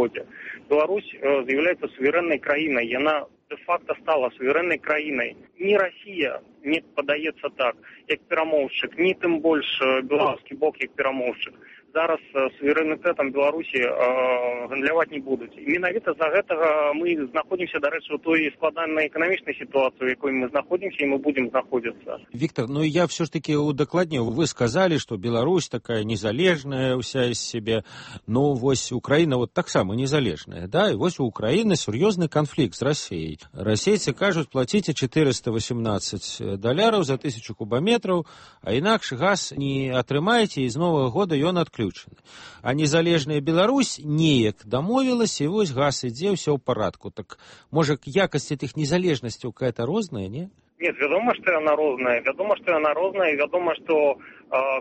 годзе. Беларусь з'яўляецца суверэннай краінай, яна де-факто стала суверэннай краінай. Ні Расія не падаецца так, як перамоўшчык, ні тым больш беларускі бок як перамоўшчык. Зараз суверэнітэтам Беларусі гандляваць не будуць. І менавіта за гэтага мы знаходзімся, дарэчы, у той складанай эканамічнай сітуацыі, у якой мы знаходзімся, і мы будем знаходзіцца. Виктор, я все ж таки удакладню. Вы сказали, что Беларусь такая незалежная уся из себя. Вось Украина таксама незалежная, да? И вось у Украины сур'ёзны конфликт с Россией. Расейцы кажут, платите $418 за 1000 кубометров, а инакше газ не атрымаете, и с Нового года ён отключен. А незалежная Беларусь неяк дамовілася, і вось газ ідзе, ўсё ў парадку. Так, можа, якасць этих незалежнасцяў какая-то розная, не? Нет, вядома, што яна розная. І вядома, што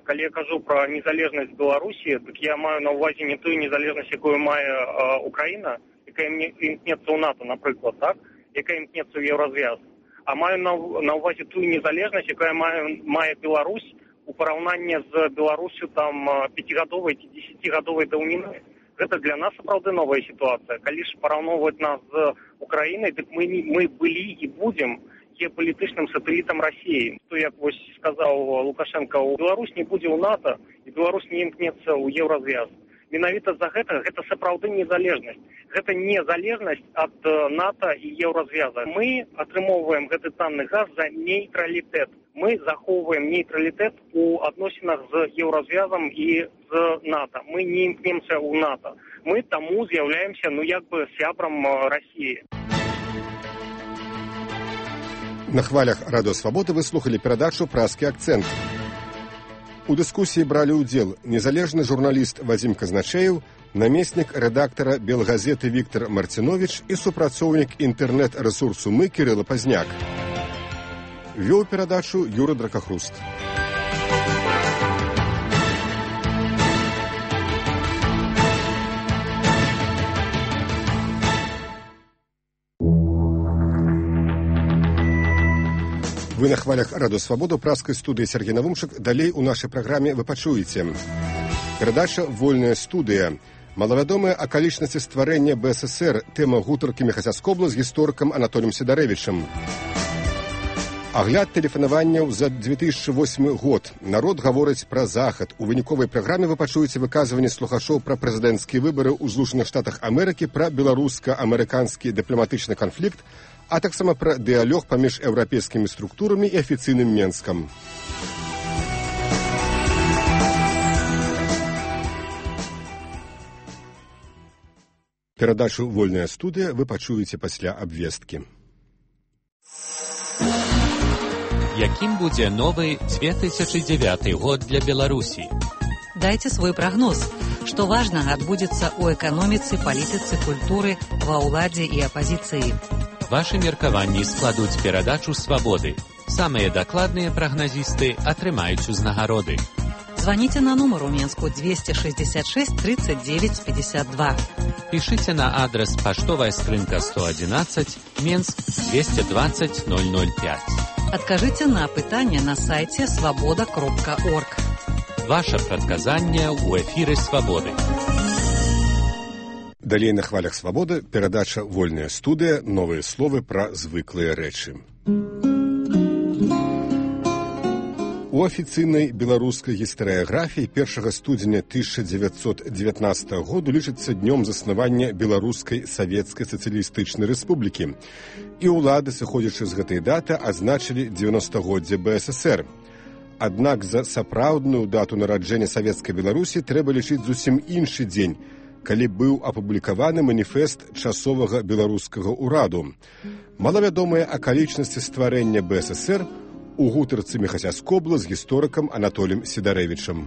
калі я кажу пра незалежнасць Беларусі, так я маю на ўвазе не тую незалежнасць, якую мае Украіна, якая імкнецца ў НАТО, напрыклад, так? Якая імкнецца ў Еўразвяз. А маю на ўвазе тую незалежнасць, якая мае Беларусь у параўнанні з Беларусю там 5-гадовай ці 10-гадовай даўніны. Гэта для нас сапраўды новая сітуацыя. Калі ж параўноўваць нас з Украінай, дык мы былі і будзем геапалітычным сатэлітам Расіі. То, як вось сказаў Лукашенко, Беларусь не будзе ў НАТО, і Беларусь не імкнецца ў Еўразвяз. Менавіта за гэта сапраўды незалежнасць. Гэта незалежнасць ад НАТО і Еўразвяза. Мы атрымоўваем гэты танны газ за нейтралітэт. Мы захоўваем нейтралітэт у адносінах з Еўразвязам і з НАТО. Мы не імкнемся ў НАТО. Мы таму з'яўляемся, сябрам Расіі. На хвалях Радыё Свабода вы слухали перадачу «Празкі акцэнт». У дыскусіі бралі ўдзел незалежны журналіст Вадзім Казначеев, намеснік рэдактара Белгазеты Віктор Марціновіч і супрацоўнік інтэрнэт-рэсурсу «Мы» Кірыла Пазняк. Вёў перадачу Юра Дракахруст. Вы на хвалях Радыё Свабода, празкай студыі Сергей Навумчык. Далей у нашай праграме вы пачуеце. Перадача «Вольная студыя». Малавядомыя акалічнасці стварэння БССР. Тэма гутаркі Міхася Скобла з гісторыкам Анатоліем Сідарэвічам. Агляд тэлефанаванняў за 2008 год. Народ гаворыць пра захад. У выніковай праграме вы пачуеце выказванні слухачоў пра прэзідэнцкія выбары ў Злучаных Штатах Амерыкі, пра беларуска-амерыканскі дыпламатычны канфлікт, а таксама пра дыялог паміж еўрапейскімі структурамі і афіцыйным Менскам. Перадачу «Вольная студыя» вы пачуеце пасля абвесткі. Якім будзе новы 2009 год для Беларусі? Дайце свой прагноз. Што важнага адбудзецца ў эканоміцы, палітыцы, культуры, ва ўладзе і апазіцыі. Вашы меркаванні складуць перадачу «Свабоды». Самыя дакладныя прагназісты атрымаюць узнагароды. Званіце на нумар у Менску 266 39 52. Пішыце на адрес паштовая скрынка 111, Менск 220 005. Адкажыце на пытанне на сайце свабода.орг. Ваша прадказанне ў эфіры «Свабоды». Далей на хвалях Свабоды перадача «Вольная студыя». Новыя словы пра звыклыя рэчы. У афіцыйнай беларускай гістарыяграфіі 1 студзеня 1919 году лічыцца днём заснавання Беларускай Савецкай Сацыялістычнай Рэспублікі. І ўлады, сыходзячы з гэтай даты, азначылі 90-годдзе БССР. Аднак за сапраўдную дату нараджэння Савецкай Беларусі трэба лічыць зусім іншы дзень, калі быў апублікаваны маніфест часовага беларускага ўраду. Малавядомыя акалічнасці стварэння БССР у гутарцы Міхася Скобла з гісторыкам Анатоліем Сідарэвічам.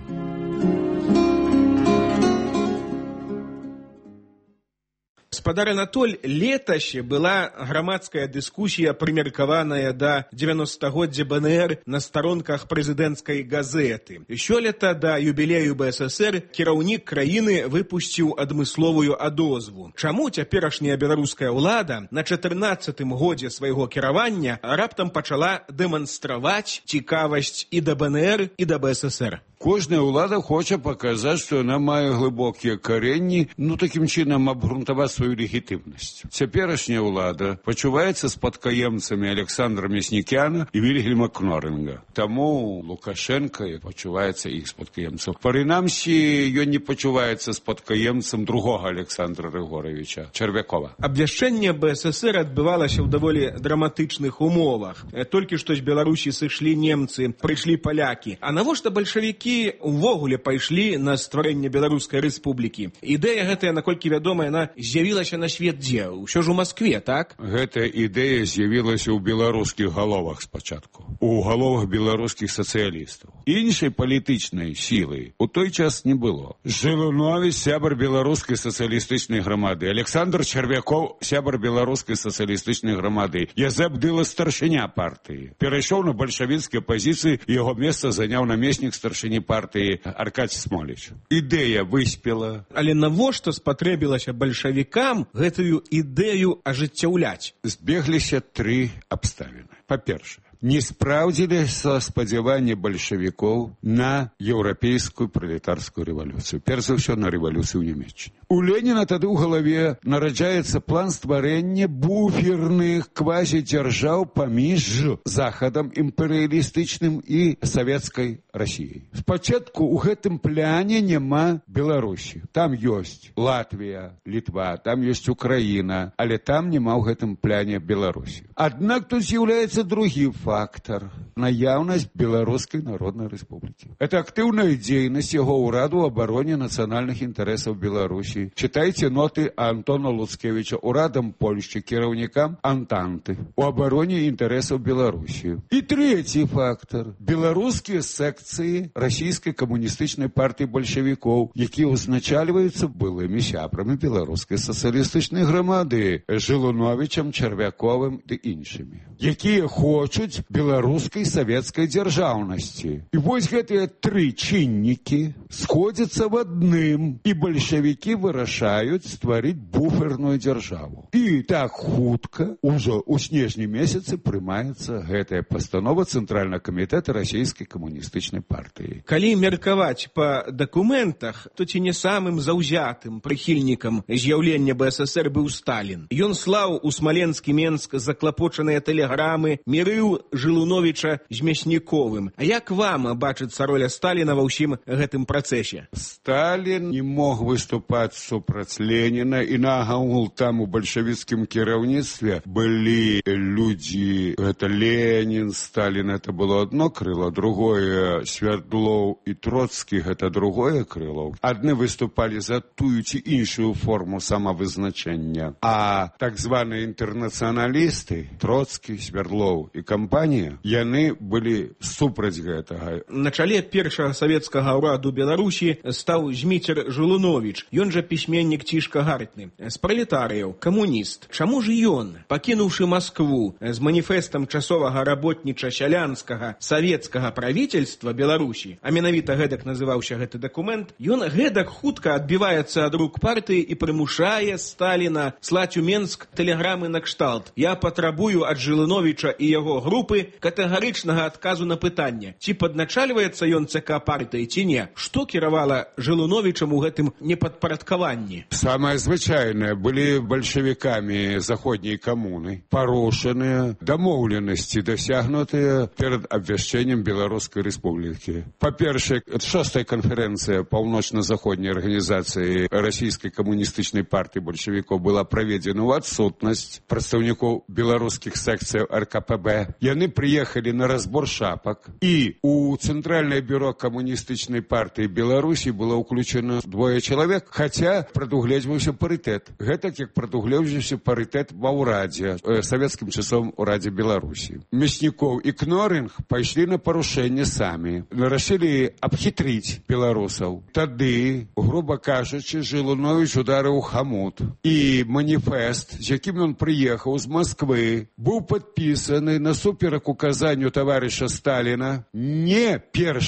Гаспадар Анатоль, летась была грамадская дыскусія, прымеркаваная да 90-годдзя БНР на старонках прэзідэнцкай газеты. Сёлета да юбілею БССР кіраўнік краіны выпусціў адмысловую адозву. Чаму цяперашняя беларуская ўлада на 14-м годзе свайго кіравання раптам пачала дэманстраваць цікавасць і да БНР, і да БССР? Кожная ўлада хоча паказаць, што яна мае глыбокія каренні, такім чынам абгрунтаваць сваю легітымнасць. Цяперашняя ўлада пачуваецца спадкаемцамі Александра Мяснікяна і Вільгельма Кноринга. Таму Лукашенко пачуваецца іх спадкаемцам. Прынамсі, ён не пачуваецца спадкаемцам другога Александра Григоровича Червякова. Абвяшчэнне БССР адбывалася ў даволі драматычных умовах. Толькі што з Беларусі сышлі немцы, прыйшлі палякі. А навошта бальшавікі увогуле пайшлі на стварэнне Беларускай рэспублікі? Ідэя гэтая, наколькі вядома, яна з'явілася на свет дзе? Усё ж у Маскве, так? Гэтая ідэя з'явілася ў беларускіх галовах спачатку. У галовах беларускіх сацыялістаў. Іншай палітычнай сілы у той час не было. Жылунович, сябар беларускай сацыялістычнай грамады. Александр Червяков, сябар беларускай сацыялістычнай грамады. Язэп Дыла, старшыня партыі. Перайшоў на бальшавіцкія пазіцыі, і яго месца заняў намеснік старшыні партыі Аркадзь Смоліч. Ідэя выспела. Але навошта спатрэбілася бальшавікам гэтую ідэю ажыццяўляць? Збегліся тры абставіны. Па-першае, не спраўдзіліся спадзяванні бальшавікоў на еўрапейскую пралетарскую рэвалюцыю. Перш за ўсё, на рэвалюцыю ў Нямецчыне. У Леніна тады ў галаве нараджаецца план стварэння буферных квазідзяржаў паміж захадам імперыялістычным і савецкай Расіяй. Спачатку ў гэтым пляне няма Беларусі. Там ёсць Латвія, Літва, там ёсць Украіна, але там няма ў гэтым пляне Беларусі. Аднак тут з'яўляецца другі фактор – наяўнасць Беларускай Народнай Рэспублікі. Это актыўная дзейнасць яго ўраду ў абароне нацыянальных інтарэсаў Беларусі. Читайте ноты Антона Луцкевича урадам Польшчы, кіраўнікам Антанты у абароне інтарэсаў Беларусі. І трэці фактор – беларускія секцыі расійскай камуністычнай партыі бальшавікоў, якія узначальваюцца былымі сябрамі беларускай сацыялістычнай грамады Жылуновичам, Червяковым ды іншымі, якія хочуць беларускай савецкай дзяржаўнасці. І вось гэтыя тры чыннікі сходзяцца в адным, і бальшавікі вырашаюць стварыць буферную дзяржаву. І так хутка, ужо ў снежні месяцы, прымаецца гэтая пастанова Цэнтральнага камітэта расійскай камуністычнай партыі. Калі меркаваць па дакументах, то ці не самым заўзятым прыхільнікам з'яўлення БССР быў Сталін. Ён слаў у Смаленскі Менск заклапочаныя тэлеграмы, мірыў Жылуновича з Мясніковым. А як вам бачыцца роля Сталіна ва ўсім гэтым працэсе? Сталін не мог выступаць супраць Леніна, і нагагул там у бальшавіцкім кіраўніцтве былі людзі, гэта Ленін, Сталін, это было одно крыло, другое Свердлоў і Троцкі, гэта другое крыло. Адны выступалі за тую ці іншую форму самавызначэння, а так званыя інтэрнацыяналісты, Троцкі, Свердлоў і кампанія, яны былі супраць гэтага. На чале першага савецкага ўраду Беларусі стаў Зміцер Жылунович. Ён жа пісьменнік цішка гартны. З пралетарыяў, камуніст. Чаму ж ён, пакінуўшы Маскву з маніфестам часовага работніча-сялянскага савецкага правительства Беларусі, а менавіта гэтак называўся гэты дакумент, ён гэтак хутка адбіваецца ад рук партыі і прымушае Сталіна слаць у Менск тэлеграмы на кшталт: «Я патрабую ад Жылуновича і яго групы катэгарычнага адказу на пытанне, ці падначальваецца ён ЦК партыі, ці не. Што кіравала Жылуновичам у гэтым непадпарадкаванні?» Самае звычайнае, былі бальшавікамі заходняй камуны парушаныя дамоўленасці, дасягнутыя перад абвяшчэннем Беларускай Рэспублікі. Па-першае, 6-я канферэнцыя паўночна-заходняй арганізацыі расійскай камуністычнай партыі бальшавікоў была праведзена ў адсутнасць прадстаўнікоў беларускіх секцыяў РКПБ. Яны прыехалі на разбор шапак, і у Цэнтральнае бюро камуністычнай партыі Беларусі было ўключена 2 чалавек, хаця прадугледжваўся парытэт. Гэтак як прадугледжваўся парытэт ва ўрадзе, савецкім часовым урадзе Беларусі. Мяснікоў і Кноринг пайшлі на парушэнне самі, рашылі абхітрыць беларусаў. Тады, груба кажучы, Жылунович ударыў хамут, і маніфест, з якім ён прыехаў з Масквы, быў падпісаны насуперак указанню таварыша Сталіна не 1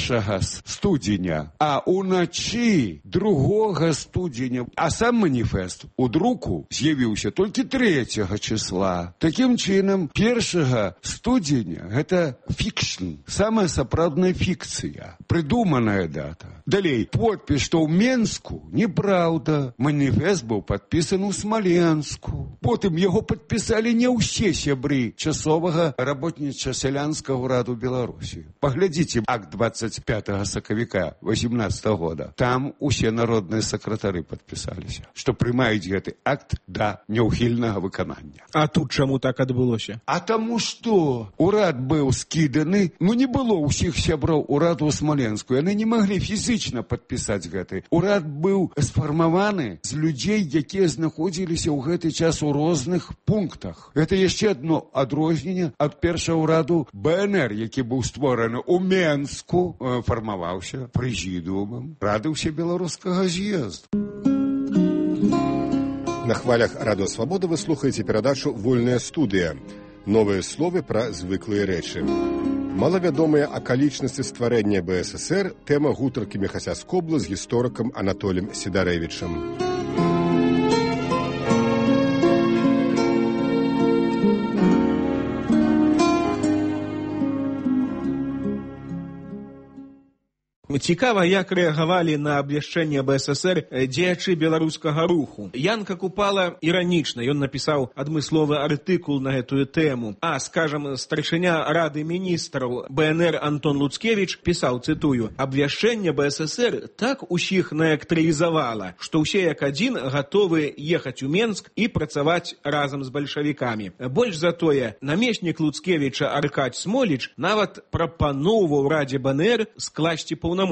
студзеня, а ўначы 2 студзеня студзеня, а сам маніфест у друку з'явіўся толькі 3 числа. Такім чынам, 1 студзеня гэта фікшн, самая сапраўдная фікцыя, прыдуманая дата. Далей, подпіс, што ў Менску, неправда. Маніфест быў падпісан у Смаленску. Потым яго падпісалі не ўсе сябры часовага работніча-сялянскага ўраду Беларусі. Паглядзіце акт 25 сакавіка 18 года. Там усе народныя сакратары падпісаліся, што прымаюць гэты акт да няўхільнага выканання. А тут чаму так адбылося? А таму што урад быў скіданы, не было ўсіх сяброў ураду ў Смаленску. Яны не маглі фізічна падпісаць гэты. Урад быў сфармаваны з людзей, якія знаходзіліся ў гэты час у розных пунктах. Гэта яшчэ адно адрозненне ад першага ўраду БНР, які быў створаны ў Менску, фармаваўся прэзідыумам Рады ўсебеларускага з'езду. На хвалях Радыё Свабода вы слухаеце перадачу «Вольная студыя». Новыя словы пра звыклыя рэчы. Малавядомыя акалічнасці стварэння БССР – тэма гутаркі Міхася Скобла з гісторыкам Анатолем Сідарэвічам. Цікава, як рэагавалі на абвяшчэнне БССР дзеячы беларускага руху. Янка Купала іранічна, ён напісаў адмысловы артыкул на гэтую тэму. Скажам, старшыня Рады міністраў БНР Антон Луцкевіч пісаў, цытую, «Абвяшчэнне БССР так усіх наэлектрызавала, што ўсе як адзін гатовы ехаць у Менск і працаваць разам з бальшавікамі. Больш за тое, намеснік Луцкевіча Аркадзь Смоліч нават прапаноўваў Радзе БНР скласці паўнамоцтвы.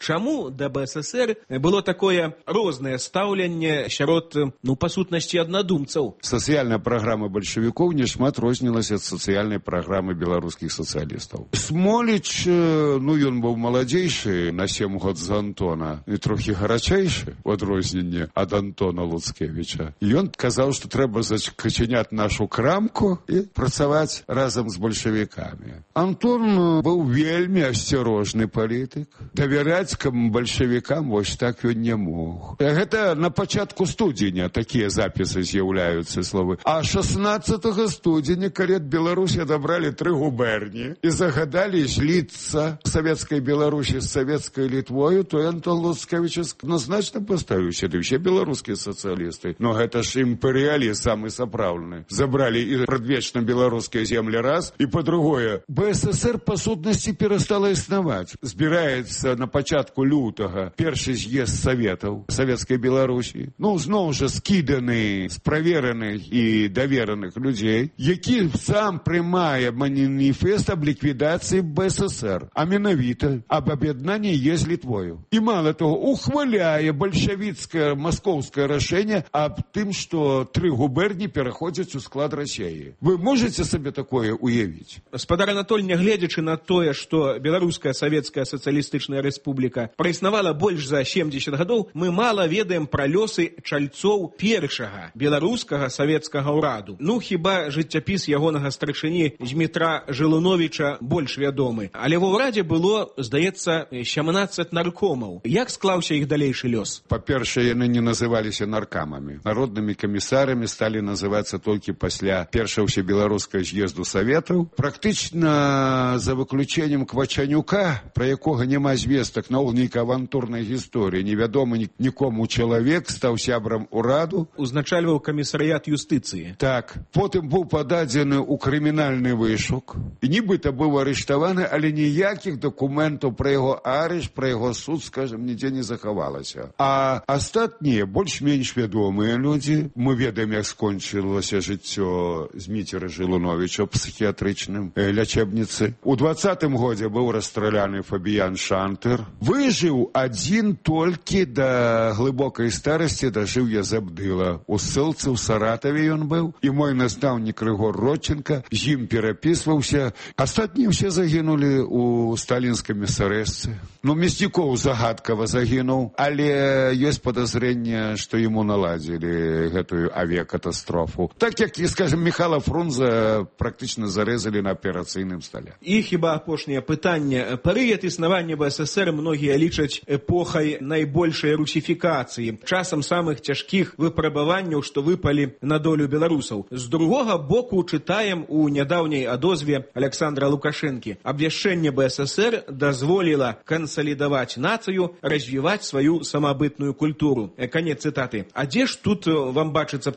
Чаму да БССР было такое рознае стаўленне сярод, па сутнасці, аднадумцаў? Сацыяльная праграма бальшавікоў нешмат рознілася ад сацыяльнай праграмы беларускіх сацыялістаў. Смоліч, ён быў маладзейшы на 7 год за Антона і трохі гарачэйшы, у адрозненне ад Антона Луцкевіча. Ён казаў, што трэба зачыняць нашу крамку і працаваць разам з бальшавікамі. Антон быў вельмі асцярожны палітык. Давяраць бальшавікам вось так ён не мог. Гэта на пачатку студзеня такія запісы з'яўляюцца словы. А 16 студзеня, калі ад Беларусі адабралі 3 губерні і загадалі зліцца савецкай Беларусі з савецкай Літвою, то Антон Луцкевіч адназначна паставіў сюды ўсе беларускія сацыялісты. Но гэта ж імперыялізм самы сапраўдны. Забралі і прадвечна беларускія землі раз, і па-другое, БССР па сутнасці перастала існаваць. Збіраецца на пачатку лютага першы з'езд саветаў савецкай Беларусі. Зноў жа скіданы з правераных і давераных людзей, які сам прымае маніфест аб ліквідацыі БССР, а менавіта аб аб'яднанні з Літвою. І мала того, ухваляе бальшавіцкае маскоўскае рашэнне аб тым, што 3 губерні пераходзяць у склад Расіі. Вы можаце сабе такое уявіць? Спадар Анатоль, нягледзячы на тое, што беларуская савецкая сацыялістычная рэспубліка праіснавала больш за 70 гадоў, мы мала ведаем пра лёсы чальцоў першага беларускага савецкага ўраду. Хіба жыццяпіс ягонага старшыні Змітра Жылуновіча больш вядомы. Але ва ўрадзе было, здаецца, 17 наркомаў. Як склаўся іх далейшы лёс? Па-першае, яны не называліся наркамамі. Народнымі камісарамі сталі называцца толькі пасля першага ўсебеларускага з'езду саветаў. Практычна за выключэннем Квачанюка, пра якога няма звестак, наогул нейкай авантурнай гісторыі, невядомы нікому чалавек стаў сябрам ураду. Узначальваў камісарыят юстыцыі. Так. Потым быў пададзены ў крымінальны вышук. І нібыта быў арыштаваны, але ніякіх дакументаў пра яго арышт, пра яго суд, скажам, нідзе не захавалася. А астатнія, больш-менш вядомыя людзі, мы ведаем, як скончылася жыццё Зміцера Жылуновіча ў псіхіятрычным лячэбніцы. У 20-м годзе быў расстраляны Фабіян Шантер. Выжыў адзін толькі да глыбокай старасці, дажыў Язабдыла. У ссылцы ў Саратаве ён быў, і мой настаўнік Рыгор Родченка з ім перапісваўся. Астатнія ўсе загінулі ў сталінскай мясарэзцы. Мяснікоў загадкава загінуў, але ёсць падазрэнне, што яму наладзілі гэтую авіякатастрофу. Так як, скажем, Міхала Фрунзе практычна зарэзалі на аперацыйным стале. І хіба апошняе пытанне. Перыяд існавання БССР БССР многія лічаць эпохай найбольшай русифікацыі, часам самых цяжкіх выпрабаванняў, што выпалі на долю беларусаў. З другога боку чытаем у нядаўняй адозве Александра Лукашэнкі. Абвяшчэнне БССР дазволіла кансалідаваць нацыю, развіваць сваю самабытную культуру. Канец цытаты. А дзе ж тут вам бачыцца